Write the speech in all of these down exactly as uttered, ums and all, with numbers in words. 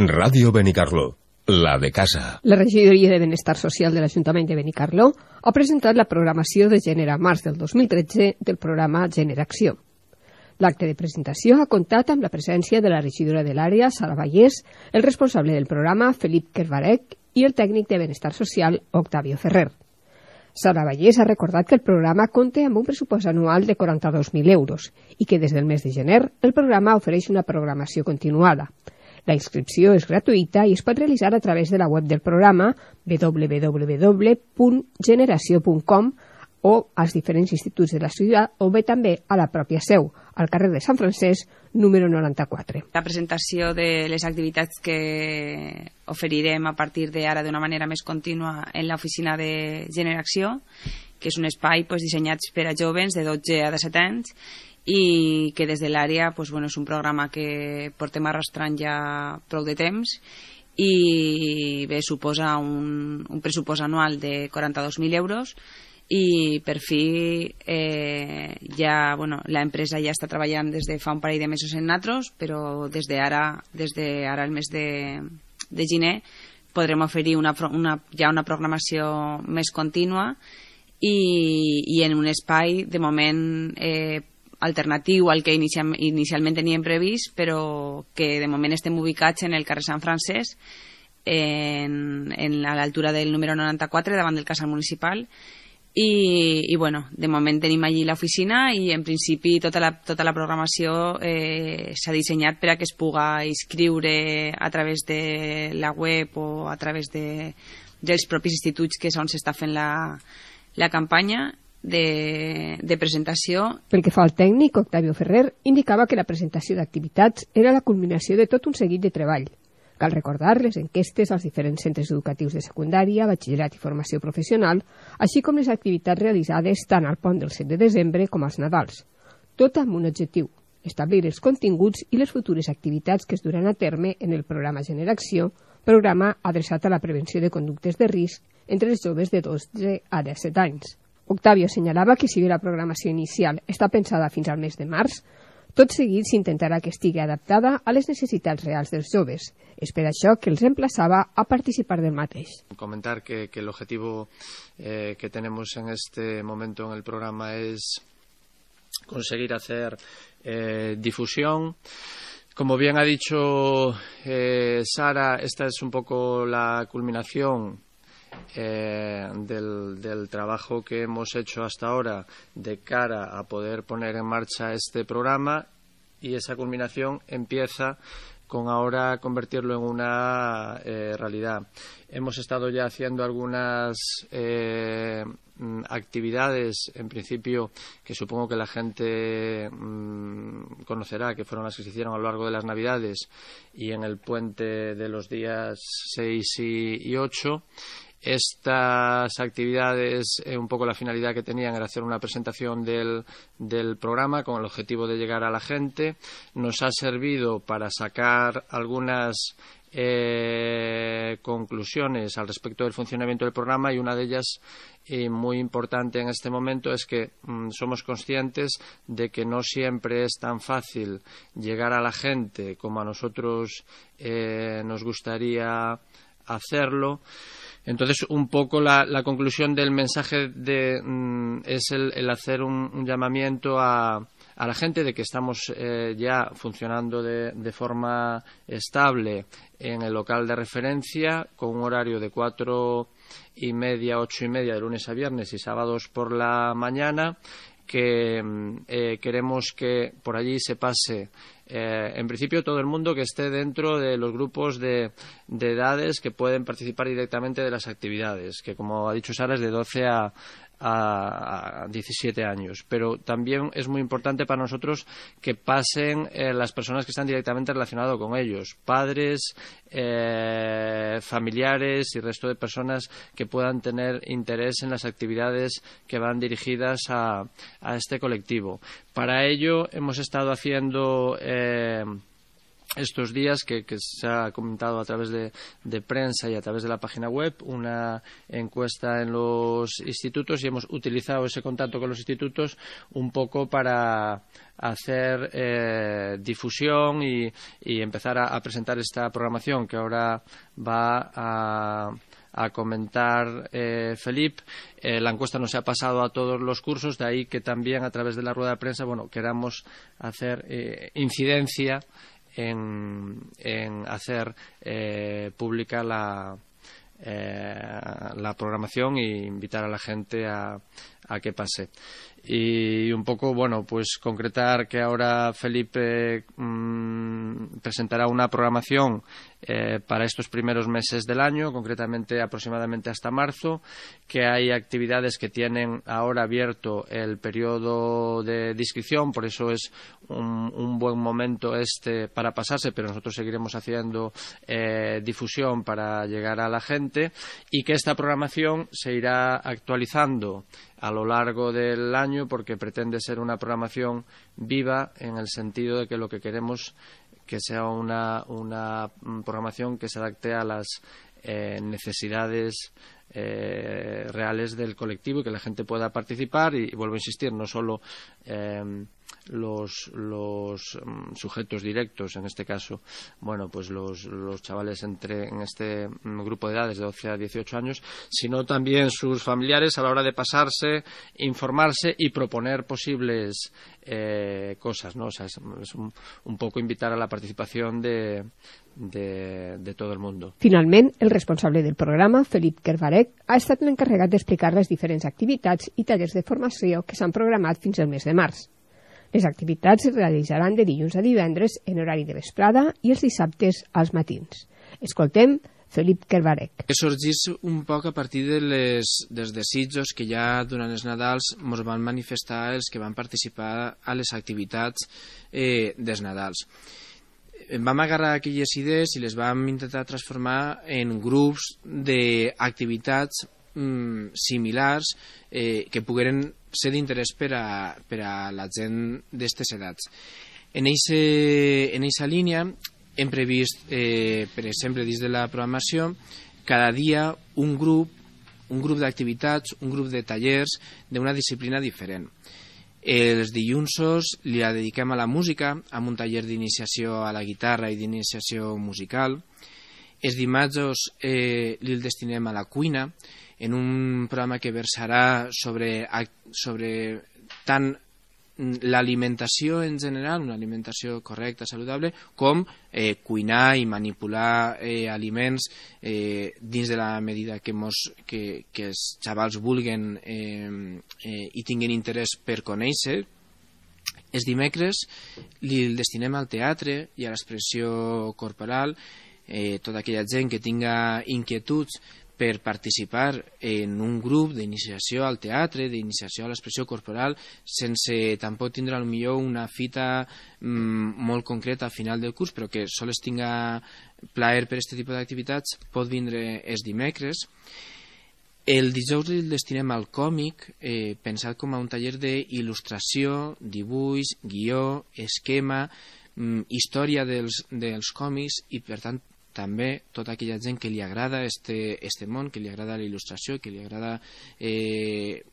Ràdio Benicarló, la de casa. La Regidoria de Benestar Social de l'Ajuntament de Benicarló ha presentat la programació de gènere març del dos mil tretze del programa Generació. L'acte de presentació ha comptat amb la presència de la regidora de l'àrea, Sara Vallès, el responsable del programa, Felip Kervarec, i el tècnic de Benestar Social, Octavio Ferrer. Sara Vallès ha recordat que el programa compta amb un pressupost anual de quaranta-dos mil euros i que des del mes de gener el programa ofereix una programació continuada. La inscripció és gratuïta i es pot realitzar a través de la web del programa w w w punt generació punt com o als diferents instituts de la ciutat o bé també a la pròpia seu, al carrer de Sant Francesc, número noranta-quatre. La presentació de les activitats que oferirem a partir d'ara d'una manera més contínua en l'oficina de Generació, que és un espai pues, dissenyat per a joves de dotze a disset anys i que des de l'àrea pues, bueno, és un programa que portem arrastrant ja prou de temps i bé, suposa un, un pressupost anual de quaranta-dos mil euros i per fi eh, ja, bueno, l'empresa ja està treballant des de fa un parell de mesos en natros, però des d'ara des d'ara el mes de, de gener podrem oferir una, una, ja una programació més contínua i, i en un espai de moment eh, alternatiu al que inicial, inicialment teníem previst, però que de moment estem ubicats en el carrer Sant Francesc, en, en l'altura del número noranta-quatre, davant del casal municipal, i, i bueno, de moment tenim allí l'oficina i en principi tota la, tota la programació eh, s'ha dissenyat per a que es puga inscriure a través de la web o a través de, dels propis instituts que és on s'està fent la, la campanya De, de presentació. Pel que fa al tècnic, Octavio Ferrer indicava que la presentació d'activitats era la culminació de tot un seguit de treball. Cal recordar les enquestes als diferents centres educatius de secundària, batxillerat i formació professional, així com les activitats realitzades tant al pont del set de desembre com als Nadals. Tot amb un objectiu, establir els continguts i les futures activitats que es duran a terme en el programa Generació, programa adreçat a la prevenció de conductes de risc entre els joves de dotze a disset anys. Octavio assenyalava que si bé la programació inicial està pensada fins al mes de març, tot seguit s'intentarà que estigui adaptada a les necessitats reals dels joves. És per això que els emplaçava a participar del mateix. Comentar que, que el objetivo eh, que tenemos en este momento en el programa es conseguir hacer eh, difusión. Como bien ha dicho eh, Sara, esta es un poco la culminación Eh, del, del trabajo que hemos hecho hasta ahora de cara a poder poner en marcha este programa, y esa culminación empieza con ahora convertirlo en una eh, realidad. Hemos estado ya haciendo algunas eh, actividades, en principio, que supongo que la gente mmm, conocerá, que fueron las que se hicieron a lo largo de las Navidades y en el puente de los días seis y ocho. Estas actividades, eh, un poco la finalidad que tenían era hacer una presentación del, del programa con el objetivo de llegar a la gente. Nos ha servido para sacar algunas eh, conclusiones al respecto del funcionamiento del programa, y una de ellas, y muy importante en este momento, es que mmm, somos conscientes de que no siempre es tan fácil llegar a la gente como a nosotros eh, nos gustaría hacerlo. Entonces, un poco la, la conclusión del mensaje de, mm, es el, el hacer un, un llamamiento a, a la gente de que estamos eh, ya funcionando de, de forma estable en el local de referencia, con un horario de cuatro y media, ocho y media de lunes a viernes y sábados por la mañana, que eh, queremos que por allí se pase eh, en principio todo el mundo que esté dentro de los grupos de, de edades que pueden participar directamente de las actividades, que como ha dicho Sara es de doce a a diecisiete años, pero también es muy importante para nosotros que pasen eh, las personas que están directamente relacionadas con ellos, padres, eh, familiares y resto de personas que puedan tener interés en las actividades que van dirigidas a, a este colectivo. Para ello hemos estado haciendo eh, estos días, que, que se ha comentado a través de, de prensa y a través de la página web, una encuesta en los institutos, y hemos utilizado ese contacto con los institutos un poco para hacer eh, difusión y, y empezar a, a presentar esta programación que ahora va a a comentar eh, Felip. Eh, la encuesta no se ha pasado a todos los cursos, de ahí que también a través de la rueda de prensa, bueno, queramos hacer eh, incidencia en, en hacer eh, pública la, eh, la programación e invitar a la gente a, a que pase. Y un poco, bueno, pues concretar que ahora Felipe mmm, presentará una programación eh, para estos primeros meses del año, concretamente aproximadamente hasta marzo, que hay actividades que tienen ahora abierto el periodo de inscripción, por eso es un, un buen momento este para pasarse, pero nosotros seguiremos haciendo eh, difusión para llegar a la gente, y que esta programación se irá actualizando a lo largo del año, porque pretende ser una programación viva, en el sentido de que lo que queremos que sea una, una programación que se adapte a las eh, necesidades eh, reales del colectivo, y que la gente pueda participar. Y, y vuelvo a insistir, no solo eh, los, los um, sujetos directos, en este caso, bueno, pues los, los chavales entre en este um, grupo de edades de doce a dieciocho años, sino también sus familiares, a la hora de pasarse, informarse y proponer posibles eh, cosas, ¿no? O sea, es, es un, un poco invitar a la participación de, de, de todo el mundo. Finalment, el responsable del programa, Felip Kervarec, ha estat l'encarregat d'explicar les diferents activitats i tallers de formació que s'han programat fins al mes de març. Les activitats es realitzaran de dilluns a divendres en horari de vesprada i els dissabtes als matins. Escoltem Felip Kervarec. Sorgís un poc a partir de les, dels desitjos que ja durant els Nadals ens van manifestar els que van participar a les activitats eh, dels Nadals. Vam agarrar aquelles idees i les vam intentar transformar en grups d'activitats mm, similars eh, que pogueren ser d'interès per, a, per a la gent d'aquestes edats. En aquesta línia hem previst, eh, per exemple, dins de la programació, cada dia un grup, un grup d'activitats, un grup de tallers d'una disciplina diferent. Els dilluns li dediquem a la música, amb un taller d'iniciació a la guitarra i d'iniciació musical. Els dimarts eh, li destinem a la cuina, en un programa que versarà sobre, sobre tant l'alimentació en general, una alimentació correcta, saludable, com eh, cuinar i manipular eh, aliments eh, dins de la medida que, mos, que, que els xavals vulguen eh, eh, i tinguin interès per conèixer. Els dimecres li destinem al teatre i a l'expressió corporal. Eh, tota aquella gent que tinga inquietuds per participar en un grup d'iniciació al teatre, d'iniciació a l'expressió corporal, sense tampoc tindre potser una fita mm, molt concreta al final del curs, però que sols tinga plaer per aquest tipus d'activitats, pot vindre els dimecres. El dijous el destinem al còmic, eh, pensat com a un taller d'il·lustració, dibuix, guió, esquema, mm, història dels, dels còmics, i per tant també tota aquella gent que li agrada este, este món, que li agrada la il·lustració, que li agrada eh,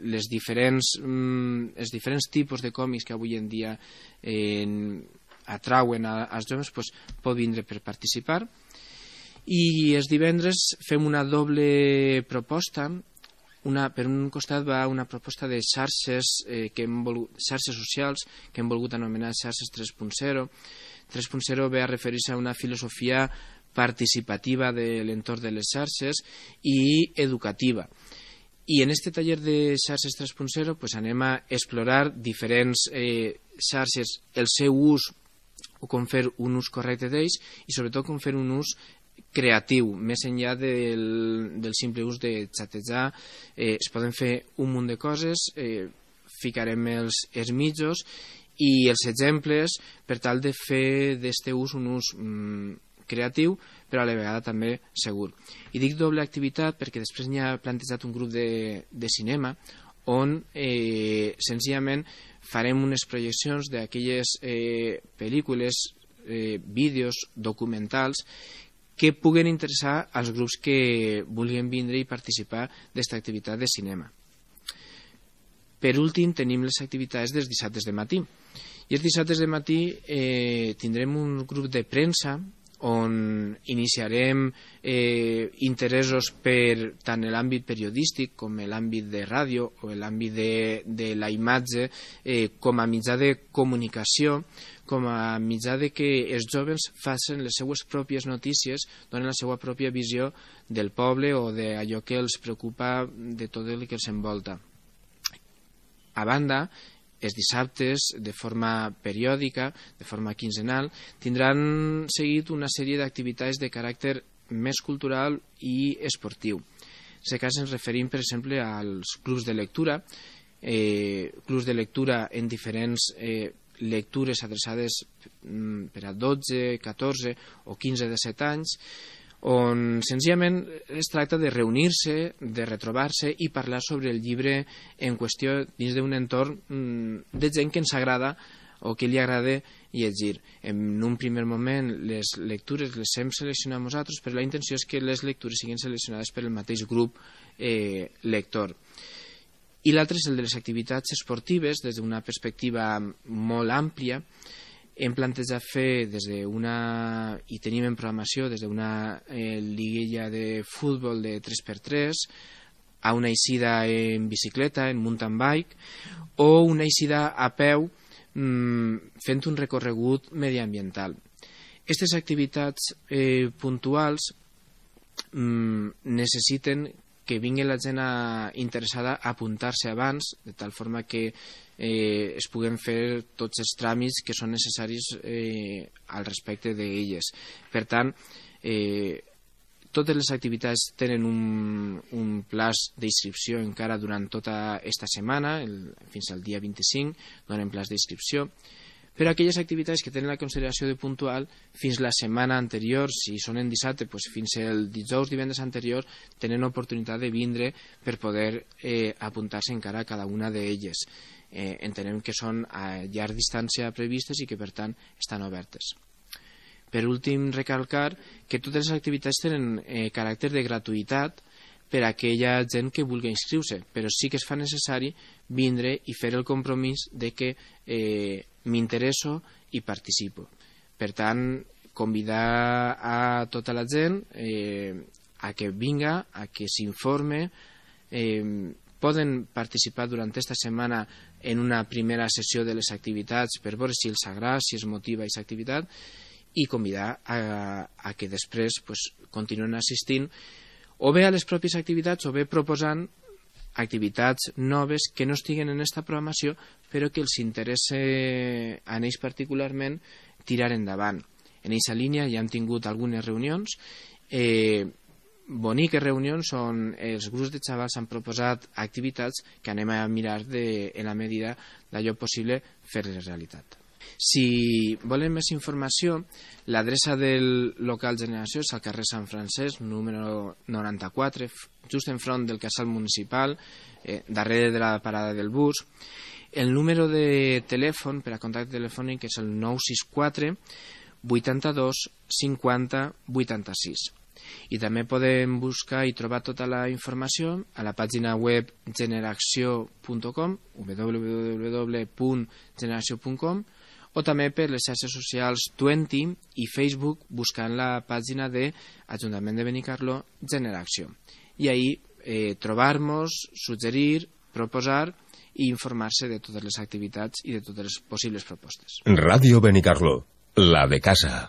les diferents, mm, els diferents tipus de còmics que avui en dia eh, atrauen a, als joves, pues, pot vindre per participar. I els divendres fem una doble proposta. Una, per un costat va una proposta de xarxes, eh, que hem volgut, xarxes socials que hem volgut anomenar xarxes tres punt zero. tres punt zero ve a referir-se a una filosofia participativa de l'entorn de les xarxes i educativa. I en aquest taller de xarxes tres punt zero pues, anem a explorar diferents eh, xarxes, el seu ús o com fer un ús correcte d'ells, i sobretot com fer un ús creatiu, més enllà del, del simple ús de xatejar. Eh, es poden fer un munt de coses, eh, ficarem els, els mitjos i els exemples per tal de fer d'aquest ús un ús mm, creatiu, però a la vegada també segur. I dic doble activitat perquè després n'hi ha plantejat un grup de, de cinema on eh, senzillament farem unes projeccions d'aquelles eh, pel·lícules eh, vídeos, documentals, que puguen interessar als grups que vulguin vindre i participar d'esta activitat de cinema. Per últim, tenim les activitats dels dissabtes de matí. I els dissabtes de matí eh, tindrem un grup de premsa on iniciarem eh, interessos per tant l'àmbit periodístic com l'àmbit de ràdio o l'àmbit de, de la imatge eh, com a mitjà de comunicació, com a mitjà de que els joves facin les seues pròpies notícies, donen la seva pròpia visió del poble o d'allò que els preocupa de tot el que els envolta. A banda, els dissabtes, de forma periòdica, de forma quinzenal, tindran seguit una sèrie d'activitats de caràcter més cultural i esportiu. En aquest cas ens referim, per exemple, als clubs de lectura, eh, clubs de lectura en diferents eh, lectures adreçades per a dotze, catorze o quinze de set anys, on senzillament es tracta de reunir-se, de retrobar-se i parlar sobre el llibre en qüestió dins d'un entorn de gent que ens agrada o que li agrada llegir. En un primer moment les lectures les hem seleccionat nosaltres, però la intenció és que les lectures siguin seleccionades per el mateix grup eh, lector. I l'altre és el de les activitats esportives des d'una perspectiva molt àmplia. Hem plantejat fer des d'una, i tenim en programació des d'una eh, liguilla de futbol de tres per tres a una eixida en bicicleta, en mountain bike, o una eixida a peu mmm, fent un recorregut mediambiental. Aquestes activitats eh, puntuals mmm, necessiten que vingui la gent a, interessada a apuntar-se abans, de tal forma que eh, es puguen fer tots els tràmits que són necessaris eh, al respecte d'elles. Per tant, eh, totes les activitats tenen un, un plaç d'inscripció encara durant tota aquesta setmana, el, fins al dia vint-i-cinc, donen plaç d'inscripció. Per a aquelles activitats que tenen la consideració de puntual, fins la setmana anterior, si són en dissabte, doncs fins el dijous, divendres anterior, tenen oportunitat de vindre per poder eh, apuntar-se encara a cada una d'elles. Eh, entenem que són a llarg distància previstes i que, per tant, estan obertes. Per últim, recalcar que totes les activitats tenen eh, caràcter de gratuïtat per a aquella gent que vulgui inscriure-se, però sí que es fa necessari vindre i fer el compromís de que eh, m'interesso i participo. Per tant, convidar a tota la gent eh, a que vinga, a que s'informe. Eh, poden participar durant aquesta setmana en una primera sessió de les activitats per veure si els agrada, si es motiva aquesta activitat, i convidar a, a que després pues, continuen assistint o bé a les pròpies activitats o bé proposant activitats noves que no estiguen en aquesta programació però que els interessa a ells particularment tirar endavant. En aquesta línia ja hem tingut algunes reunions, eh, boniques reunions on els grups de xavals han proposat activitats que anem a mirar de, en la medida d'allò possible fer-les realitat. Si volen més informació, l'adreça del local Generació és al carrer Sant Francesc, número noranta-quatre, just enfront del casal municipal, eh, darrere de la parada del bus. El número de telèfon per a contacte telefònic és el nou sis quatre vuitanta-dos cinquanta vuitanta-sis. I també podem buscar i trobar tota la informació a la pàgina web generació punt com, w w w punt generació punt com, o també per les xarxes socials Twenty i Facebook buscant la pàgina de Ajuntament de Benicarló Generació. I ahí eh, trobar-nos, suggerir, proposar i informar-se de totes les activitats i de totes les possibles propostes. Ràdio Benicarló, la de casa.